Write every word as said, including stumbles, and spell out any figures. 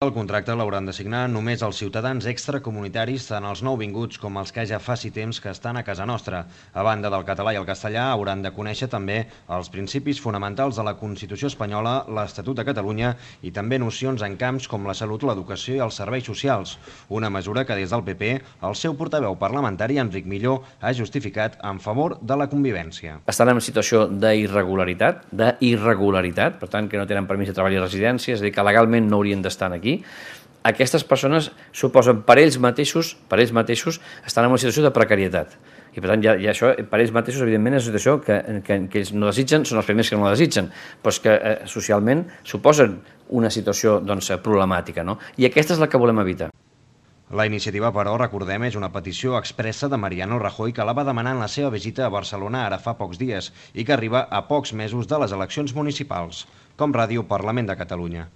El contracte l'hauran de signar només els ciutadans extracomunitaris, tant els nouvinguts com els que ja faci temps que estan a casa nostra. A banda del català i el castellà, hauran de conèixer també els principis fonamentals de la Constitució espanyola, l'Estatut de Catalunya i també nocions en camps com la salut, l'educació i els serveis socials. Una mesura que des del P P el seu portaveu parlamentari, Enric Millo, ha justificat en favor de la convivència. Estan en situació d'irregularitat, d'irregularitat, per tant que no tenen permís de treball i residència, és a dir, que legalment no haurien d'estar aquí. Aquestes persones suposen per ells mateixos, per ells mateixos estan en una situació de precarietat. I per tant, ja, ja això, per ells mateixos, evidentment, és una situació que, que, que ells no desitgen, són els primers que no la desitgen, però és que eh, socialment suposen una situació doncs, problemàtica, no? I aquesta és la que volem evitar. La iniciativa, però, recordem, és una petició expressa de Mariano Rajoy que la va demanar en la seva visita a Barcelona ara fa pocs dies i que arriba a pocs mesos de les eleccions municipals. Com Ràdio, Parlament de Catalunya.